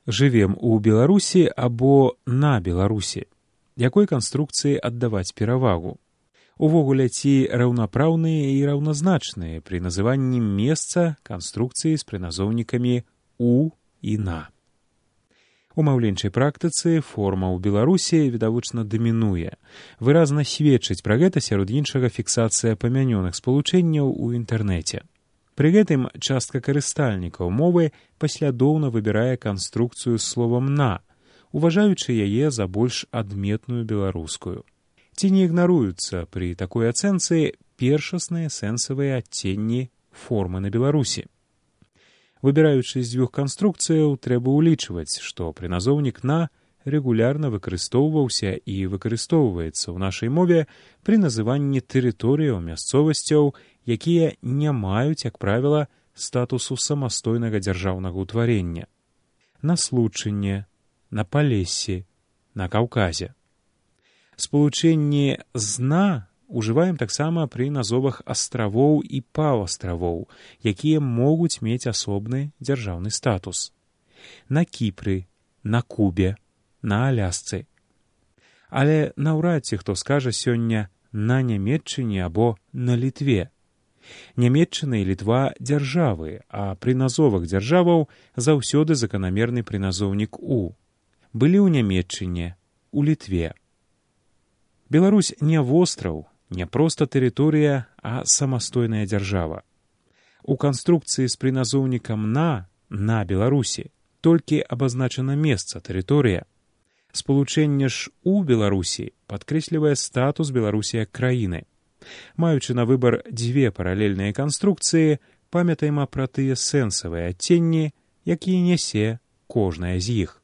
Жывем у Беларусі або на Беларусі. Якой канструкцыі аддаваць перавагу? Увогуле, ці раўнапраўныя і раўназначныя пры называнні месца канструкцыі з прыназоўнікамі «у» і «на». У маўленчай практыцы форма ў Беларусі відавочна дамінуе. Выразна сведчыць пра гэта сярод іншага фіксацыя памянёных спалучэнняў у інтэрнэце. Пры гэтым частка карыстальнікаў мовы паслядоўна выбірае канструкцыю з словам «на», уважаючы яе за больш адметную беларускую. Ці не ігнаруюцца пры такой ацэнцы першасныя сэнсавыя адценні формы на Беларусі? Выбіраючы з дзвюх канструкцыяў, трэба ўлічваць, што прыназоўнік «на» рэгулярна выкарыстоўваўся і выкарыстоўваецца ў нашай мове пры называнні тэрыторыяў, мясцовасцяў, якія не маюць, як правіла, статусу самастойнага дзяржаўнага ўтварення. На Случыне, на Палессі, на Каўказе. Спалучэнне з «на» ужываем таксама пры назовах астравоў і паўастравоў, якія могуць мець асобны дзяржаўны статус. На Кіпры, на Кубе, на Алясцы. Але наўрад ці хто скажа сёння «на Нямецчыне» або «на Літве». Нямецчына і Літва – дзяржавы, а пры назовах дзяржаваў заўсёды заканамерны прыназоўнік «у». Былі ў Нямецчыне, у Літве. Беларусь не востраў, не проста тэрыторыя, а самастойная дзяржава. У канструкцыі з прыназоўнікам «на» Беларусі толькі абазначана месца, тэрыторыя. Спалучэнне ж «у» Беларусі падкрэслівае статус Беларусі як краіны. Маючы на выбар дзве паралельныя канструкцыі, памятаем пра тыя сэнсавыя адценні, якія нясе кожная з іх.